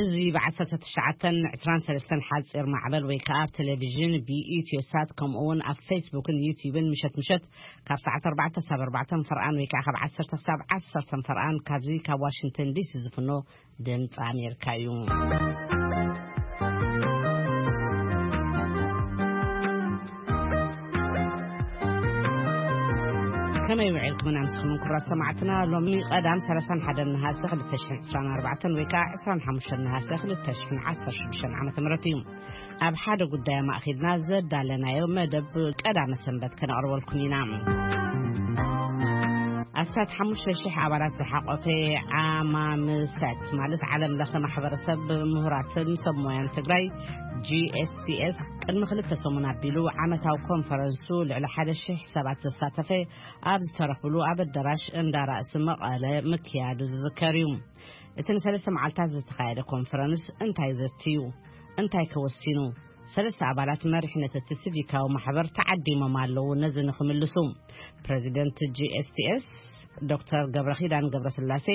እዚ ብ19:23 ሓጺር ማዕበል ወይ ከዓ ኣብ ቴሌቪዥን ብኢትዮሳት ከምኡ እውን ኣብ ፌስቡክን ዩቲዩብን ምሸት ምሸት ካብ ሰዓት 4 ሳብ 4 ፈርኣን ወይ ከዓ ካብ 10 ሳብ 10 ፈርኣን ካብዚ ካብ ዋሽንግተን ዲሲ ዝፍኖ ድምፂ ኣሜሪካ እዩ። ከመይ ውዒልኩም ኣምስኹም ክቡራት ሰማዕትና? ሎሚ ቀዳም 31 ነሃሰ 2024 ወይ ከዓ 25 ነሃሰ 2016 ዓመተ ምህረት እዩ። ኣብ ሓደ ጉዳይ ኣማእኺልና ዘዳለናዮ መደብ ቀዳመ ሰንበት ከነቕርበልኩም ኢና። ኣስታት 5,000 ኣባላት ዝሓቆፈ ዓማምሰት ማለት ዓለም ለኸ ማሕበረሰብ ምሁራትን ሰብ ሞያን ትግራይ፣ ጂ ኤስ ቲ ኤስ፣ ቅድሚ ክልተ ሰሙን ኣቢሉ ዓመታዊ ኮንፈረንሱ ልዕሊ 1,000 ሰባት ዘሳተፈ ኣብ ዝተረኽብሉ ኣብ ኣዳራሽ እንዳ ራእሲ መቐለ ምክያዱ ዝዝከር እዩ። እቲ ንሰለስተ መዓልታት ዝተኻየደ ኮንፈረንስ እንታይ ዘትዩ? እንታይ ከወሲኑ? ሰለስተ ኣባላት መሪሕነት እቲ ሲቪካዊ ማሕበር ተዓዲሞም ኣለዉ። ነዚ ንክምልሱ ፕሬዚደንት ጂ ኤስ ቲ ኤስ ዶክተር ገብረኺዳን ገብረስላሴ፣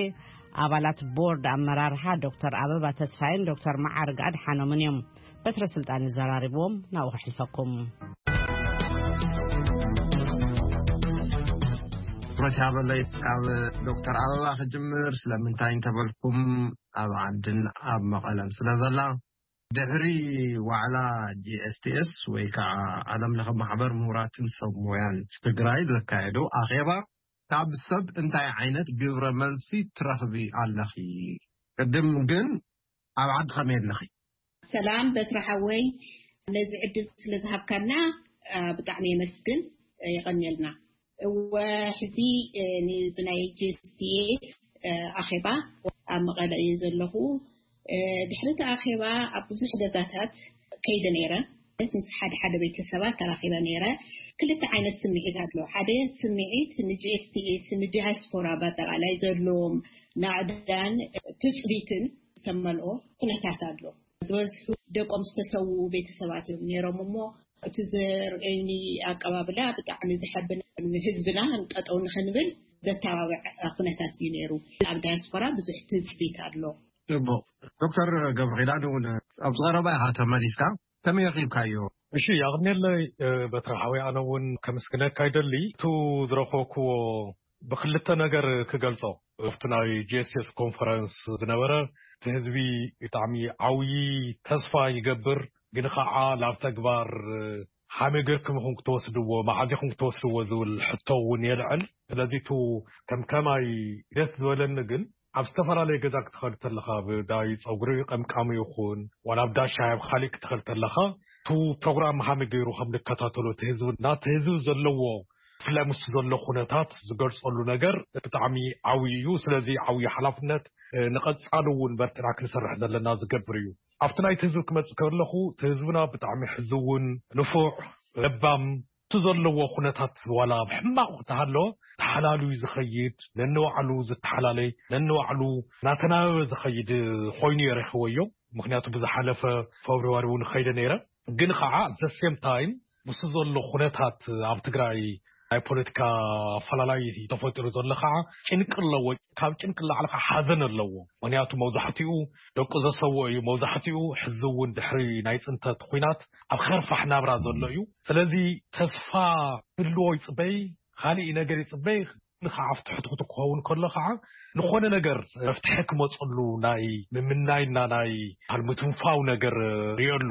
ኣባላት ቦርድ ኣመራርሓ ዶክተር ኣበባ ተስፋይን ዶክተር መዓርግ ኣድሓኖምን እዮም። በትረ ስልጣን ይዘራርብዎም። ናብኡ ከሕልፈኩም። ትኩረት ያበለይ ካብ ዶክተር ኣበባ ክጅምር። ስለምንታይ እንተበልኩም፣ ኣብ ዓድን ኣብ መቐለን ስለ ዘላ፣ ድሕሪ ዋዕላ ጂ ኤስ ቲ ኤስ ወይ ከዓ ዓለም ለኸ ማሕበር ምሁራትን ሰብ ሞያን ትግራይ ዘካየዶ ኣኼባ፣ ካብ ሰብ እንታይ ዓይነት ግብረ መልሲ ትረኽቢ ኣለኺ? ቅድም ግን ኣብ ዓዲ ከመይ ኣለኺ? ሰላም በትሪ ሓወይ፣ ነዚ ዕድል ስለ ዝሃብካና፣ አ፣ ብጣዕሚ የመስግን፣ አ፣ የቐንየልና። እወ፣ ሕዚ፣ አ፣ ንዚ ናይ ጂ ኤስ ቲ ኤስ፣ አ፣ ኣኼባ ኣብ መቐለ እየ ዘለኹ። አ፣ ድሕሪ እቲ ኣኼባ ኣብ ብዙሕ ገዛታት ከይደ ነይረ። ምስ ሓደ ሓደ ቤተሰባት ተራኺበ ነይረ። ክልተ ዓይነት ስምዒት ኣሎ። ሓደ ስምዒት ን ጂ ኤስ ቲ ኤስ፣ ንዲያስፖራ ብኣጠቓላይ ዘለዎም ናዕዳን ትጽቢትን ዝተመልኦ ኩነታት ኣሎ። ዝበዝሑ ደቆም ዝተሰውኡ ቤተሰባት እዮም ነይሮም እሞ፣ እቲ ዘርእዩኒ ኣቀባብላ ብጣዕሚ ዘሐብን፣ ንህዝብና ጠጠው ንኽንብል ዘተባብዕ ኩነታት እዩ ነይሩ። ኣብ ዳያስፖራ ብዙሕ ትጽቢት ኣሎ። ጽቡቕ። ዶክተር ገብረኺዳን እውን ኣብዚ ቀረባ ኢኻ ተመሊስካ፣ ከመይ ረኺብካዮ? እሺ፣ ኣቕንየለይ፣ እ፣ በትሪ ሓወይ፣ ኣነ እውን ከምስግነካ ይደሊ። እቱ ዝረኸብክዎ ብክልተ ነገር ክገልጾ። ኣብቲ ናይ ጂ ኤስ ኤስ ኮንፈረንስ ዝነበረ፣ እቲ ህዝቢ ብጣዕሚ ዓብዪ ተስፋ ይገብር፣ ግን ኸዓ ናብ ተግባር፣ እ፣ ሃመይ ጌርኩም ኢኹም ክትወስድዎ፣ መዓዝ ኢኹም ክትወስድዎ ዝብል ሕቶ እውን የልዕል። ስለዚ እቱ ከም ከማይ ደስ ዝበለኒ ግን ኣብ ዝተፈላለየ ገዛ ክትኸድ ተለኻ፣ ብዳይ ጸጉሪ ቀምቃሚ ይኹን፣ ዋላ ኣብ ዳሻ ኣብ ኻሊእ ክትኸድ ተለኻ፣ እቱ ፕሮግራም ሃመይ ገይሩ ከም ንከታተሎ እቲ ህዝቢ፣ ናቲ ህዝቢ ዘለዎ፣ ብፍላይ ምስ ዘሎ ኩነታት ዝገልጸሉ ነገር ብጣዕሚ ዓብዪ እዩ። ስለዚ ዓብዪ ሓላፍነት፣ እ፣ ንቐጻሊ እውን በርቲዕና ክንሰርሕ ዘለና ዝገብር እዩ። ኣብቲ ናይቲ ህዝቢ ክመጽእ ከለኹ፣ እቲ ህዝብና ብጣዕሚ ሕዝውን፣ ንፉዕ፣ ለባም፣ እቲ ዘለዎ ኩነታት ዋላ ኣብ ሕማቕ እንተሃለወ፣ ተሓላልዩ ዝኸይድ፣ ነንባዕሉ ዝተሓላለይ፣ ነንባዕሉ እናተናበበ ዝኸይድ ኮይኑ እየ ረኺበዮ። ምኽንያቱ ብዝሓለፈ ፌብርዋሪ እውን ከይደ ነይረ። ግን ኸዓ at the same time ምስቲ ዘሎ ኩነታት ኣብ ትግራይ ናይ ፖለቲካ ኣፈላላይ ተፈጢሩ ዘሎ ኸዓ ጭንቂ ኣለዎ። ካብ ጭንቂ ላዕሊ ኸዓ ሓዘን ኣለዎ። ምኽንያቱ መብዛሕትኡ ደቁ ዘሰዎ እዩ። መብዛሕትኡ ሕዚ እውን ድሕሪ ናይ ፅንተት ኹናት ኣብ ኸርፋሕ ናብራ ዘሎ እዩ። ስለዚ ተስፋ ህልዎ ይፅበይ፣ ካሊእ ነገር ይፅበይ። ንኸዓ ኣብቲ ትሕቲ ክኸውን ከሎ ኸዓ ንኾነ ነገር መፍትሒ ክመፅሉ ናይ ምምናይና ናይ ምትንፋው ነገር ሪኦሉ።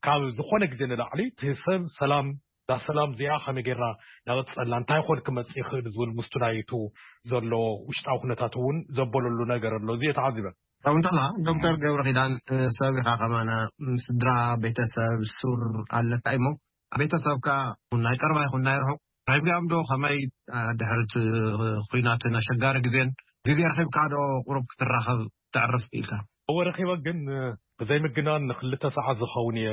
ካብ ዝኾነ ግዜ ንላዕሊ እቲ ሰብ ሰላም፣ እዛ ሰላም እዚኣ ከመይ ጌርና ናቐጸልና፣ እንታይ ይኾን ክመጽእ ይኽእል ዝብል ምስቱ ናይቱ ዘሎ ውሽጣዊ ኩነታት እውን ዘበለሉ ነገር ኣሎ። እዚ እየ ተዓዚበ። ከምኡ እንተላ ዶክተር ገብረ ኪዳን፣ ሰብ ኢኻ ከማና፣ ስድራ፣ ቤተሰብ፣ ሱር ኣለካ እሞ፣ ቤተሰብካ ናይ ቀረባ ይኹን ናይ ርሑቕ ረኺብካዮም ዶ? ከመይ፣ አ፣ ድሕሪ እቲ ኹናትን ኣሸጋሪ ግዜን ግዜ ረኺብካ ዶ ቁሩብ ክትራኸብ ተዕርፍ ኢልካ? እወ ረኺበ፣ ግን ብዘይ ምግናን ንክልተ ሰዓት ዝኸውን እየ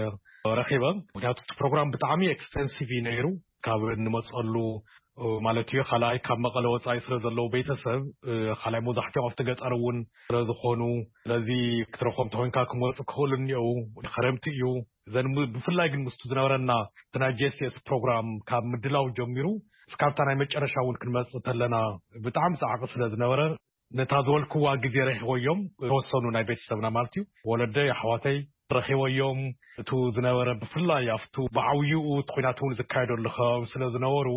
ረኺበ። ምክንያቱ እቲ ፕሮግራም ብጣዕሚ ኤክስቴንሲቭ እዩ ነይሩ። ካብ እንመፀሉ ማለት እዩ፣ ካልኣይ ካብ መቐለ ወፃኢ ስለ ዘለዉ ቤተሰብ፣ ካልኣይ መብዛሕትኦም ኣብቲ ገጠር እውን ስለ ዝኾኑ፣ ስለዚ ክትረኽቦም ተኾይንካ ክመፁ ክኽእሉ እኒአው። ክረምቲ እዩ። እዘን ም-፣ ብፍላይ ግን ምስቱ ዝነበረና እቲ ናይ ጂ ኤስ ኤስ ፕሮግራም ካብ ምድላው ጀሚሩ እስካብታ ናይ መጨረሻ እውን ክንመፅእ ተለና ብጣዕሚ ፃዕቂ ስለ ዝነበረ፣ ነታ ዝበልክዋ ግዜ ረኺቦዮም፣ ተወሰኑ ናይ ቤተሰብና ማለት እዩ፣ ወለደይ፣ ኣሕዋተይ ረኺቦዮም። እቱ ዝነበረ፣ ብፍላይ ኣብቱ ብዓብይኡ እቲ ኲናት እውን ዝካየደሉ ከባቢ ስለ ዝነበሩ፣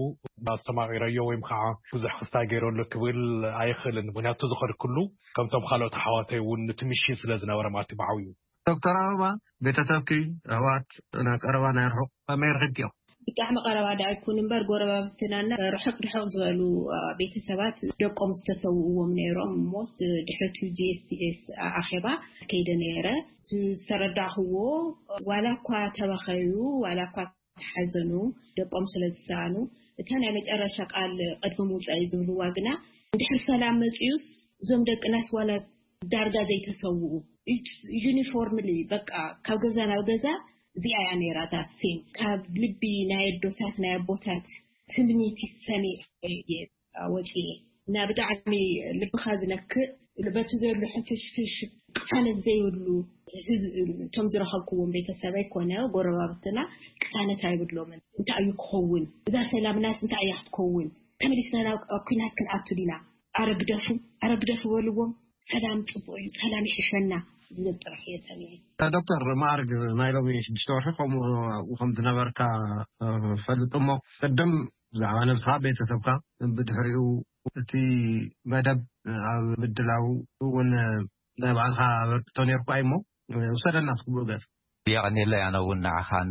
ኣስተማቒረዮ ወይም ከዓ ብዙሕ ክስታይ ገይረሉ ክብል ኣይኽእልን። ምኽንያቱ ዝኸድክሉ ከምቶም ካልኦት ኣሕዋተይ እውን እቲ ሚሽን ስለ ዝነበረ ማለት እዩ፣ ብዓብይኡ። ዶክተር ኣበባ፣ ቤተሰብኪ፣ ኣሕዋት፣ ናይ ቀረባ ናይ ርሑቕ ከመይ ረኺብኪዮ? ብጣዕሚ ቀረባ ዳ ኣይኩን እምበር፣ ጎረባብትናና ርሕቕ ርሕቕ ዝበሉ፣ አ፣ ቤተሰባት ደቆም ዝተሰውእዎም ነይሮም። እሞስ ድሕሪ እቲ ጂ ኤስ ቲ ኤስ ኣኼባ ከይደ ነይረ። እቲ ዝተረዳእኽዎ፣ ዋላ እኳ ተበኸዩ፣ ዋላ እኳ ተሓዘኑ፣ ደቆም ስለ ዝሰኣኑ፣ እታ ናይ መጨረሻ ቃል ቅድሚ ምውፃእ ዝብልዋ ግና፣ እንድሕር ሰላም መፅዩስ፣ እዞም ደቅናስ ዋላ ዳርጋ ዘይተሰውኡ፣ ዩኒፎርምሊ፣ በቃ፣ ካብ ገዛ ናብ ገዛ እዚኣ እያ ነይራ። ዳት ሴም ካብ ልቢ ናይ ኣዶታት ናይ ኣቦታት ትምኒት ሰሚዐ እየ ወፂኤ። እና ብጣዕሚ ልብኻ ዝነክእ፣ በቲ ዘሎ ሕንፍሽፍሽ ቅሳነት ዘይብሉ ህዝቢ፣ እቶም ዝረኸብክዎም ቤተሰብ ኣይኮነ፣ ጎረባብትና ቅሳነት ኣይብሎምን። እንታይ እዩ ክኸውን? እዛ ሰላምናስ እንታይ እያ ክትከውን? ተመሊስና ናብ ኲናት ክንኣቱ ዲና? ኣረ ግደፉ፣ ኣረ ግደፉ በልዎም። ሰላም ጽቡቕ እዩ፣ ሰላም ይሕሸና ዝብል ጥራሕ እየ ሰሚዐ። ዶክተር፣ ማዕርግ ናይ ሎሚ ሽዱሽተ ወርሒ ከምኡ ኣብኡ ከም ዝነበርካ፣ እ፣ ፈልጥ እሞ፣ ቅድም ብዛዕባ ነብስኻ፣ ቤተሰብካ፣ ብድሕሪኡ እቲ መደብ ኣብ ምድላው እውን ናይ ባዕልኻ ኣበርክቶ ነይርካ እዩ እሞ፣ ውሰደና እስኪ ብኡ ገጽ። የቐንየለይ። ኣነ እውን ንዓኻን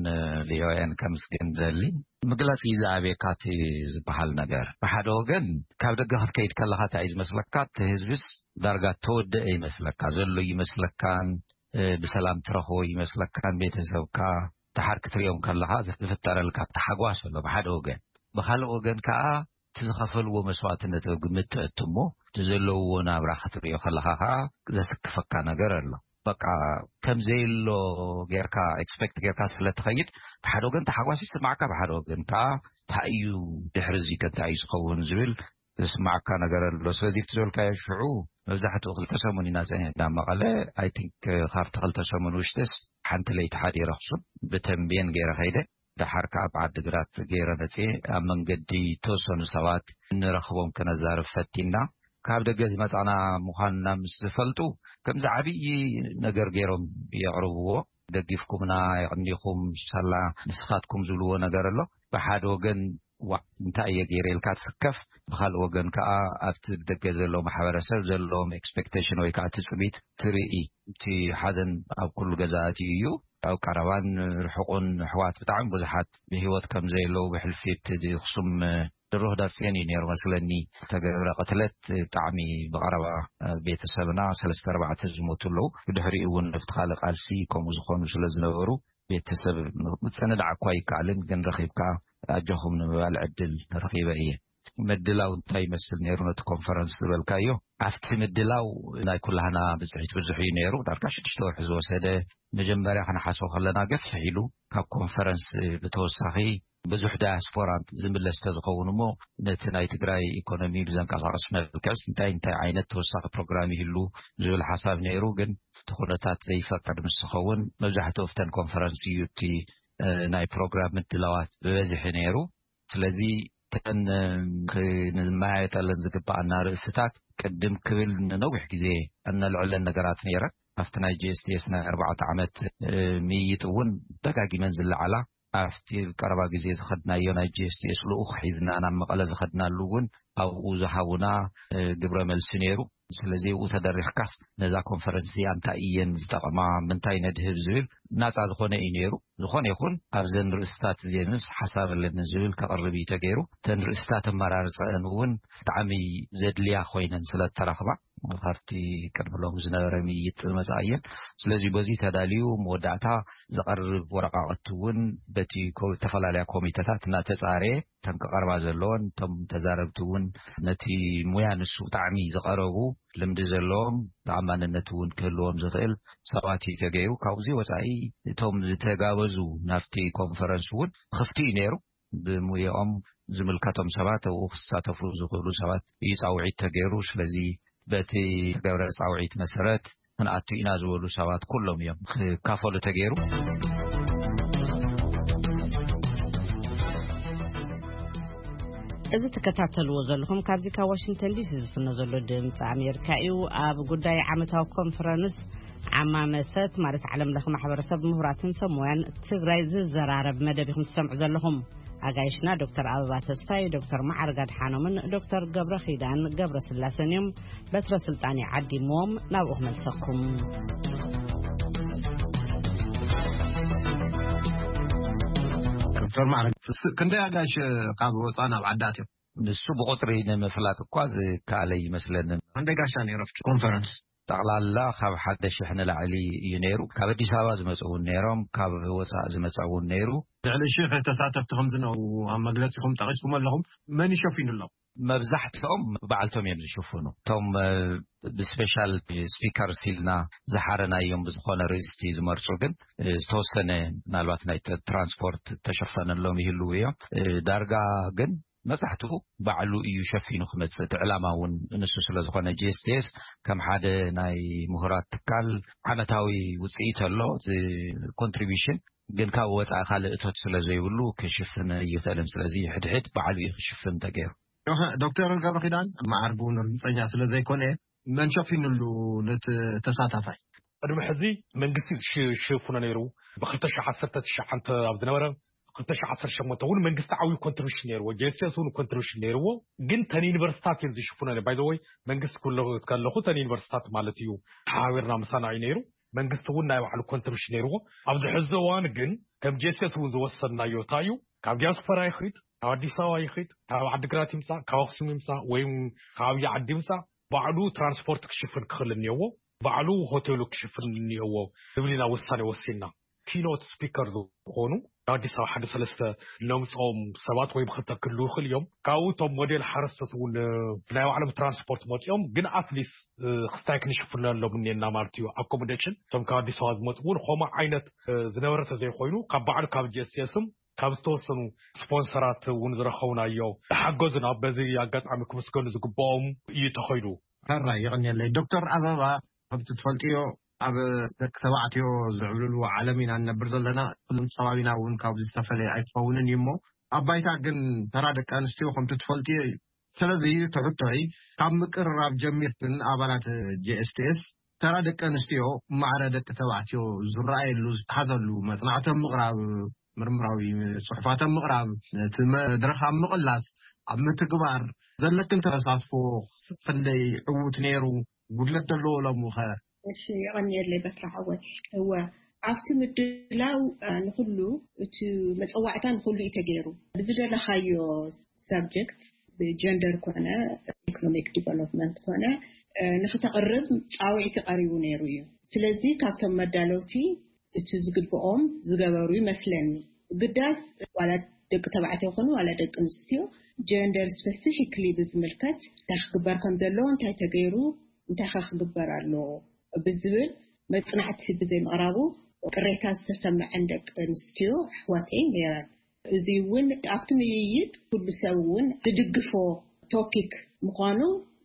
ቪኦኤን ከምስግን ደሊ። ምግላጽ እዩ ዝኣብየካ እቲ ዝበሃል ነገር። ብሓደ ወገን ካብ ደገ ክትከይድ ከለኻ እንታይ እዩ ዝመስለካ? እቲ ህዝብስ ዳርጋ ተወደአ ይመስለካ፣ ዘሎ ይመስለካን፣ እ፣ ብሰላም ትረኽቦ ይመስለካን፣ ቤተሰብካ ደሓር ክትሪኦም ከለኻ ዝፍጠረልካ ተሓጓስ ኣሎ ብሓደ ወገን። ብኻልእ ወገን ከኣ እቲ ዝኸፈልዎ መስዋእትነት ኣብ ግምት ተእቱ እሞ፣ እቲ ዘለውዎ ናብራ ክትሪኦ ከለኻ ከኣ ዘስክፈካ ነገር ኣሎ። በቃ ከም ዘየሎ ጌርካ ኤክስፔክት ጌርካ ስለ ትኸይድ፣ ብሓደ ወገን ተሓጓስ ይስማዓካ፣ ብሓደ ወገን ከኣ እንታይ እዩ ድሕሪ እዚ ከ እንታይ እዩ ዝኸውን ዝብል ዝስማዓካ ነገር ኣሎ። ስለዚ እቲ ዝበልካዮ ሽዑ መብዛሕትኡ ክልተ ሰሙን ኢና ጸኒሕና መቐለ። ኣይ ቲንክ ካብቲ ክልተ ሰሙን ውሽጥስ ሓንቲ ለይቲ ሓዲረ ኣኽሱም ብተምቤን ገይረ ከይደ። ደሓር ከኣ ኣብ ዓዲግራት ገይረ መጽየ። ኣብ መንገዲ ዝተወሰኑ ሰባት እንረኽቦም ከነዛርብ ፈቲና። ካብ ደገ ዝመጻና ምዃንና ምስ ዝፈልጡ፣ ከምዚ ዓብዪ ነገር ገይሮም የቕርብዎ። "ደጊፍኩምና፣ የቕኒኹም፣ ሳላ ንስኻትኩም" ዝብልዎ ነገር ኣሎ። ብሓደ ወገን፣ "ዋዕ፣ እንታይ እየ ገይረ?" ኢልካ ትስከፍ። ብኻልእ ወገን ከኣ ኣብቲ ደገ ዘሎ ማሕበረሰብ ዘለዎም ኤክስፔክቴሽን ወይ ከኣ ትጽቢት ትርኢ። እቲ ሓዘን ኣብ ኩሉ ገዛ ኣትዩ እዩ። ኣብ ቀረባን ርሑቕን ኣሕዋት ብጣዕሚ ብዙሓት ብህይወት ከም ዘየለዉ፣ ብሕልፊ እቲ ኣኽሱም ድሮ ህዳር ጽዮን እዩ ነይሩ መስለኒ፣ ዝተገብረ ቅትለት ብጣዕሚ ብቐረባ ቤተሰብና ሰለስተ ኣርባዕተ ዝሞቱ ኣለዉ። ብድሕሪኡ እውን ኣብቲ ካልእ ቃልሲ ከምኡ ዝኾኑ ስለ ዝነበሩ፣ ቤተሰብ ምጽንናዕ እኳ ኣይከኣልን፣ ግን ረኺብካ ኣጆኹም ንምባል ዕድል ረኺበ እየ። ምድላው እንታይ ይመስል ነይሩ ነቲ ኮንፈረንስ ዝበልካዮ? ኣብቲ ምድላው ናይ ኩላህና ብጽሒት ብዙሕ እዩ ነይሩ። ዳርጋ ሽዱሽተ ወርሒ ዝወሰደ፣ መጀመርያ ክንሓስቦ ከለና ገፍሕ ኢሉ፣ ካብ ኮንፈረንስ ብተወሳኺ ብዙሕ ዳያስፖራ ዝምለስ ተዝኸውን እሞ፣ ነቲ ናይ ትግራይ ኢኮኖሚ ብዘንቀሳቕስ መልክዕስ እንታይ እንታይ ዓይነት ተወሳኺ ፕሮግራም ይህሉ ዝብል ሓሳብ ነይሩ። ግን እቲ ኩነታት ዘይፈቅድ ምስ ዝኸውን፣ መብዛሕትኡ ኣብተን ኮንፈረንስ እዩ እቲ፣ እ፣ ናይ ፕሮግራም ምድላዋት ብበዝሒ ነይሩ። ስለዚ እተን፣ እ፣ ክንመያየጠለን ዝግባኣና ርእስታት ቅድም ክብል ንነዊሕ ግዜ እነልዕለን ነገራት ነይረን። ኣብቲ ናይ ጂ ኤስ ቲ ኤስ ናይ ኣርባዕተ ዓመት፣ እ፣ ምይይጥ እውን ደጋጊመን ዝለዓላ፣ ኣብቲ ቀረባ ግዜ ዝኸድናዮ ናይ ጂ ኤስ ቲ ኤስ ልኡኽ ሒዝና ናብ መቐለ ዝኸድናሉ እውን ኣብኡ ዝሃቡና፣ እ፣ ግብረ መልሲ ነይሩ። ስለዚ ኣብኡ ተደሪኽካስ ነዛ ኮንፈረንስ እዚኣ እንታይ እየን ዝጠቕማ፣ ምንታይ ነድህብ ዝብል ናጻ ዝኾነ እዩ ነይሩ። ዝኾነ ይኹን ኣብዘን ርእስታት እዚአንስ ሓሳብ ኣለኒ ዝብል ከቕርብ እዩ ተገይሩ። እተን ርእስታት ኣመራርጸአን እውን ብጣዕሚ ዘድልያ ኮይነን ስለ እተረኽባ፣ ካብቲ ቅድሚ ሎም ዝነበረ ምይይጥ ዝመጻ እየን። ስለዚ በዚ ተዳልዩ መወዳእታ ዝቐርብ ወረቃቕቲ እውን በቲ ኮ-፣ ዝተፈላለያ ኮሚተታት እናተጻረየ፣ እተን ክቐርባ ዘለወን፣ እቶም ተዛረብቲ እውን ነቲ ሙያ ንሱ ብጣዕሚ ዝቐረቡ፣ ልምዲ ዘለዎም፣ ተኣማንነት እውን ክህልዎም ዝኽእል ሰባት እዩ ተገይሩ። ካብዚ ወጻኢ እቶም ዝተጋበዙ ናብቲ ኮንፈረንስ እውን ክፍቲ እዩ ነይሩ። ብሙያኦም ዝምልከቶም ሰባት ኣብኡ ክሳተፉ ዝኽእሉ ሰባት እዩ ጻውዒት ተገይሩ። ስለዚ በቲ ተገብረ ጻውዒት መሰረት ክንኣቱ ኢና ዝበሉ ሰባት ኩሎም እዮም ክካፈሉ ተገይሩ። እዚ ትከታተልዎ ዘለኹም ካብዚ ካብ ዋሽንግተን ዲሲ ዝፍኖ ዘሎ ድምፂ ኣሜሪካ እዩ። ኣብ ጉዳይ ዓመታዊ ኮንፈረንስ ዓማመሰት ማለት ዓለም ለኸ ማሕበረሰብ ምሁራትን ሰብ ሞያን ትግራይ ዝዘራረብ መደብ ኢኹም ትሰምዑ ዘለኹም። ኣጋይሽና ዶክተር ኣበባ ተስፋይ፣ ዶክተር መዓርግ ኣድሓኖምን ዶክተር ገብረ ኺዳን ገብረ ስላሰን እዮም። በትረ ስልጣን ይዓዲምዎም ናብኡ ክመልሰኩም። ዶክተር ማዕረግ፣ ክንደይ ኣጋይሽ ካብ ወፃእ ናብ ዓዲ ኣትዮም? ንሱ ብቁፅሪ ንምፍላጥ እኳ ዝከኣለ ይመስለንን። ክንደይ ጋሻ ነይሩ ኣብቲ ኮንፈረንስ? ጠቕላላ ካብ ሓደ ሽሕ ንላዕሊ እዩ ነይሩ። ካብ ኣዲስ ኣበባ ዝመፁ እውን ነይሮም፣ ካብ ወፃእ ዝመፀ እውን ነይሩ። ልዕሊ ሽሕ ተሳተፍቲ ከም ዝነበሩ ኣብ መግለፂኹም ጠቒስኩም ኣለኹም። መን ይሸፊኑ ኣለኹም? መብዛሕትኦም ባዕልቶም እዮም ዝሽፍኑ። እቶም ብስፔሻል ስፒከርስ ኢልና ዝሓረናዮም ብዝኾነ ርእስቲ ዝመርፁ ግን ዝተወሰነ ምናልባት ናይ ትራንስፖርት ተሸፈነሎም ይህልው እዮም። ዳርጋ ግን መብዛሕትኡ ባዕሉ እዩ ሸፊኑ ክመፅእ። እቲ ዕላማ እውን ንሱ ስለ ዝኾነ፣ ጂኤስቲኤስ ከም ሓደ ናይ ምሁራት ትካል ዓመታዊ ውፅኢት ኣሎ። እቲ ኮንትሪቢሽን ግን ካብ ወፃኢ ካልእ እቶት ስለ ዘይብሉ ክሽፍን ኣይኽእልን። ስለዚ ሕድሕድ ባዕሉ እዩ ክሽፍን ተገይሩ። ዶክተር ገብረ ኪዳን፣ መዓርግ እውን ርግፀኛ ስለ ዘይኮነ፣ መን ሸፊኑሉ ነቲ ተሳታፋይ? ቅድሚ ሕዚ መንግስቲ ዝሽፍኖ ነይሩ። ብ2019 ኣብ ዝነበረ፣ ብ2018 እውን መንግስቲ ዓብዩ ኮንትሪቢሽን ነይርዎ፣ ጄስቴስ እውን ኮንትሪቢሽን ነይርዎ። ግን ተን ዩኒቨርሲታት እዮም ዝሽፍኖ። ባይ ዘ ወይ መንግስቲ ክብሎ ከለኹ ተን ዩኒቨርሲታት ማለት እዩ። ሓቢርና ምሳና እዩ ነይሩ። መንግስቲ እውን ናይ ባዕሉ ኮንትሪቢሽን ነይርዎ። ኣብዚ ሕዚ እዋን ግን ከም ጄስቴስ እውን ዝወሰድናዮ እንታይ እዩ፣ ካብ ዲያስፖራ ይኽድ፣ ካብ ኣዲስ ኣበባ ይኽድ፣ ካብ ዓዲግራት ይምፃእ፣ ካብ ኣክሱም ይምፃእ፣ ወይ ካብ ዓብዪ ዓዲ ይምፃእ፣ ባዕሉ ትራንስፖርት ክሽፍን ክኽእል እኒኦዎ፣ ባዕሉ ሆቴሉ ክሽፍን እኒኦዎ ዝብል ኢና ውሳኔ ወሲንና። ኪኖት ስፒከር ዝኾኑ ካብ ኣዲስ ኣበባ ሓደ ሰለስተ እነምፅኦም ሰባት ወይ ብክልተ ክህልዉ ይኽእል እዮም። ካብኡ እቶም ሞዴል ሓረስቶት እውን ብናይ ባዕሎም ትራንስፖርት መፂኦም፣ ግን ኣትሊስት ክስታይ ክንሽፍነሎም እኒኤና ማለት እዩ። ኣኮሞዴሽን እቶም ካብ ኣዲስ ኣበባ ዝመፁ እውን ከምኡ ዓይነት ዝነበረ ተዘይኮይኑ፣ ካብ ባዕሉ ካብ ጂኤስኤስም ካብ ዝተወሰኑ ስፖንሰራት እውን ዝረኸብናዮ ሓገዙና በዚ ኣጋጣሚ ክምስገኑ ዝግብኦም እዩ ተኸይዱ። ሕራይ፣ የቐንየለይ። ዶክተር ኣበባ፣ ከምቲ ትፈልጥዮ፣ ኣብ ደቂ ተባዕትዮ ዝዕብልልዎ ዓለም ኢና ንነብር ዘለና። ኩሎም ከባቢና እውን ካብዚ ዝተፈለየ ኣይክኸውንን እዩ። እሞ ኣብ ባይታ ግን ተራ ደቂ ኣንስትዮ ከምቲ ትፈልጥዮ እዩ። ስለዚ እቲ ሕቶይ፣ ካብ ምቅርራብ ጀሚርክን ኣባላት ጄኤስቲኤስ፣ ተራ ደቂ ኣንስትዮ ማዕረ ደቂ ተባዕትዮ ዝረኣየሉ፣ ዝተሓዘሉ፣ መጽናዕቲ ኣብ ምቕራብ፣ ምርምራዊ ጽሑፋት ኣብ ምቕራብ፣ ነቲ መድረኽ ኣብ ምቕላስ፣ ኣብ ምትግባር ዘለክን ተሳትፎ ክንደይ ዕዉት ነይሩ? ጉድለት ዘለዎ ሎምኸ? እሺ፣ የቐንየለይ በትሪ ሓወይ። እወ፣ ኣብቲ ምድላው፣ እ፣ ንኹሉ፣ እቲ መጸዋዕታ ንኹሉ እዩ ተገይሩ። ብዝደለኻዮ ሳብጀክት፣ ብጀንደር ኮነ፣ ኢኮኖሚክ ዲቨሎፕመንት ኮነ፣ እ፣ ንኽተቕርብ ጻውዒቲ ቀሪቡ ነይሩ እዩ። ስለዚ ካብቶም መዳለውቲ እቲ ዝግብኦም ዝገበሩ ይመስለኒ። ግዳስ ዋላ ደቂ ተባዕትዮ ይኹኑ ዋላ ደቂ ኣንስትዮ፣ ጀንደር ስፔሲፊክሊ ብዝምልከት እንታይ ክግበር ከም ዘለዎ፣ እንታይ ተገይሩ፣ እንታይ ከ ክግበር ኣለዎ ብዝብል መጽናዕቲ ብዘይምቕራቡ ቅሬታ ዝተሰምዐን ደቂ ኣንስትዮ ኣሕዋተይ ነይረን። እዚ እውን ኣብቲ ምይይጥ ኩሉ ሰብ እውን ዝድግፎ ቶፒክ ምዃኑ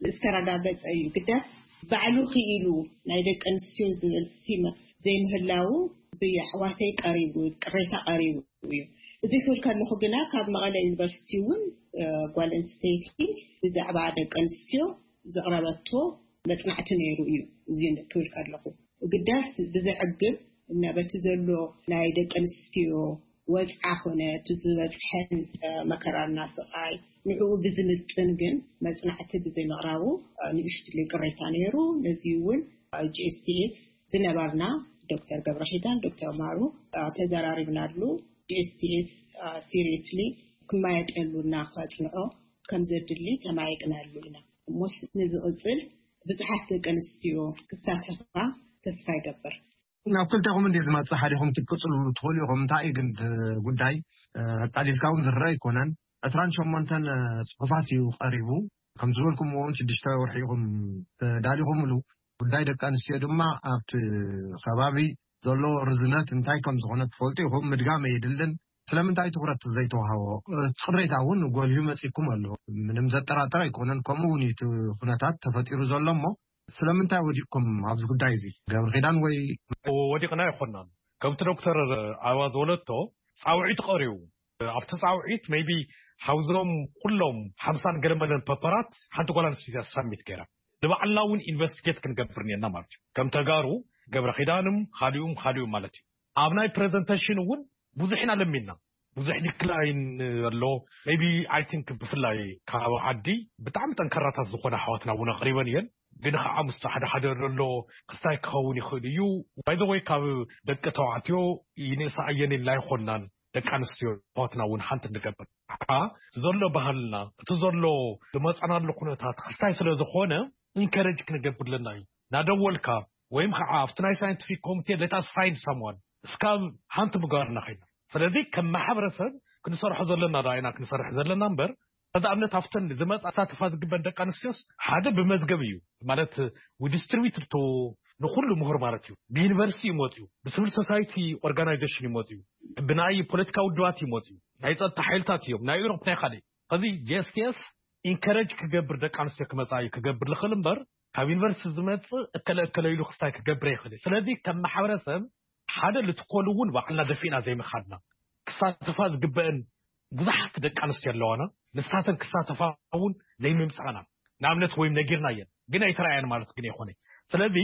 ዝተረጋገጸ እዩ። ግዳስ ባዕሉ ክኢሉ ናይ ደቂ ኣንስትዮ ዝብል ቲም ዘይምህላዉ ብኣሕዋተይ ቀሪቡ፣ ቅሬታ ቀሪቡ እዩ። እዚ ክብል ከለኹ ግና ካብ መቐለ ዩኒቨርሲቲ እውን፣ እ፣ ጓል ኣንስተይቲ ብዛዕባ ደቂ ኣንስትዮ ዘቕረበቶ መጽናዕቲ ነይሩ እዩ። እዚ ክብል ከለኹ ግዳስ ብዘዕግብ እና በቲ ዘሎ ናይ ደቂ ኣንስትዮ ወጽዓ ኮነ እቲ ዝበጽሐን፣ እ፣ መከራና ስቓይ ንዕኡ ብዝምጥን ግን መጽናዕቲ ብዘይምቕራቡ፣ እ፣ ንእሽትለይ ቅሬታ ነይሩ። ነዚ እውን ኣብ ጂ ኤስ ቲ ኤስ ዝነበርና ዶክተር ገብረኺዳን፣ ዶክተር ማሩ፣ እ፣ ተዘራሪብናሉ። ጂ ኤስ ቲ ኤስ፣ እ፣ ሲሪየስሊ ክማየጠሉ እና ከጽንዖ ከም ዘድሊ ተማየጥናሉ ኢና። እሞስ ንዝቕጽል ብዙሓት ደቂ ኣንስትዮ ክሳተፋ ተስፋ ይገብር። ናብ ክልቴኹም እንድየ ዝመጽእ፣ ሓዲኹም ክትቅጽሉ ትኽእሉ ኢኹም። እንታይ እዩ ግን እቲ ጉዳይ፣ እ፣ ኣቃሊልካ እውን ዝረአ ኣይኮነን። ዕስራን ሸሞንተን ጽሑፋት እዩ ቀሪቡ። ከም ዝበልኩምዎ እውን ሽዱሽተ ወርሒ ኢኹም ተዳሊኹምሉ። ጉዳይ ደቂ ኣንስትዮ ድማ ኣብቲ ከባቢ ዘሎ ርዝነት እንታይ ከም ዝኾነ ትፈልጡ ኢኹም። ምድጋም የድልን። ስለምንታይ ትኹረት ዘይተዋህቦ? እቲ ቅሬታ እውን ጎሊሁ መጺኩም ኣሎ። ምንም ዘጠራጥር ኣይኮነን። ከምኡ እውን እዩ እቲ ኩነታት ተፈጢሩ ዘሎ። እሞ ስለምንታይ ወዲቕኩም ኣብዚ ጉዳይ እዚ? ገብረ ኪዳን ወይ ወዲቕና ኣይኮናን። ከምቲ ዶክተር ኣበባ ዝበለቶ ጻውዒት ቀሪቡ፣ ኣብቲ ፃውዒት maybe ሓውዞም ኩሎም ሓምሳን ገለመለን ፐፐራት ሓንቲ ጓል ኣንስተይቲ ሳሚት ገይራ። ንባዕልና እውን ኢንቨስቲጌት ክንገብር እኒአና ማለት እዩ። ከም ተጋሩ ገብረ ኪዳንም ካሊኡም ካሊኡም ማለት እዩ። ኣብ ናይ ፕሬዘንቴሽን እውን ብዙሕ ኢና ለሚና። ብዙሕ ዲክላይን ኣሎ። maybe I think ብፍላይ ካብ ዓዲ ብጣዕሚ ጠንካራታት ዝኾነ ኣሕዋትና እውን ኣቕሪበን እየን። ግን ከዓ ምስ ሓደ ሓደ ዘሎ ክስታይ ክኸውን ይኽእል እዩ። By the way ካብ ደቂ ተባዕትዮ ይንእሳ እየን ኢልና ኣይኮናን። ደቂ ኣንስትዮ ኣሕዋትና እውን ሓንቲ ንገብር። ከዓ ዘሎ ባህልና እቲ ዘሎ ዝመፃናሉ ኩነታት ክስታይ ስለ ዝኾነ ኢንከረጅ ክንገብር ኣለና እዩ። እናደወልካ ወይም ከዓ ኣብቲ ናይ ሳይንቲፊክ ኮሚቴ let us find someone እስካብ ሓንቲ ምግባርና ኮይና። ስለዚ ከም ማሕበረሰብ ክንሰርሖ ዘለና ዳ ኢና ክንሰርሕ ዘለና እምበር፣ ከዛ ኣብነት ኣብተን ዝመፃ ሳተፋ ዝግበን ደቂ ኣንስትዮስ ሓደ ብመዝገብ እዩ ማለት we distribute to ንኩሉ ምሁር ማለት እዩ። ብዩኒቨርሲቲ ይመፅኡ፣ ብሲቪል ሶሳይቲ ኦርጋናይዜሽን ይመፅኡ፣ ብናይ ፖለቲካ ውድባት ይመፅኡ፣ ናይ ፀጥታ ሓይልታት እዮም፣ ናይ ኤሮፕ ናይ ካልእ። ከዚ ጂ ኤስ ቲ ኤስ ኢንከረጅ ክገብር ደቂ ኣንስትዮ ክመፃ እዩ ክገብር ልኽእል እምበር ካብ ዩኒቨርሲቲ ዝመፅእ እከለ እከለ ኢሉ ክስታይ ክገብር ይኽእል። ስለዚ ከም ማሕበረሰብ ሓደ ልትኮሉ እውን ባዕልና ደፊእና ዘይምኻድና ክሳተፋ ዝግበአን ብዙሓት ደቂ ኣንስትዮ ኣለዋና። ንሳተን ክሳተፋ እውን ዘይምምፃእና ንኣብነት ወይም ነጊርና እየን ግን ኣይተረኣያን ማለት ግን ኣይኮነ። ስለዚ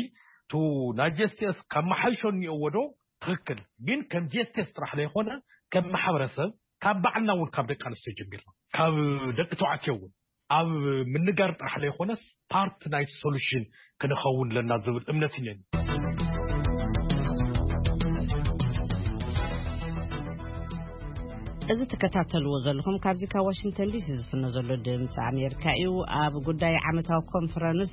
ቱ ናይ ጂ ኤስ ቲ ኤስ ካብ መሓይሾ እኒኦዎ ዶ ትኽክል ግን ከም ጂ ኤስ ቲ ኤስ ጥራሕ ለይኮነ ከም ማሕበረሰብ ካብ ባዕልና እውን ካብ ደቂ ኣንስትዮ ጀሚርና ካብ ደቂ ተባዕትዮ እውን ኣብ ምንጋር ጥራሕ ለይኮነስ ፓርት ናይ ሶሉሽን ክንኸውን ኣለና ዝብል እምነት እኔኒ። እዚ ትከታተልዎ ዘለኹም ካብዚ ካብ ዋሽንግተን ዲሲ ዝፍኖ ዘሎ ድምፂ ኣሜሪካ እዩ። ኣብ ጉዳይ ዓመታዊ ኮንፈረንስ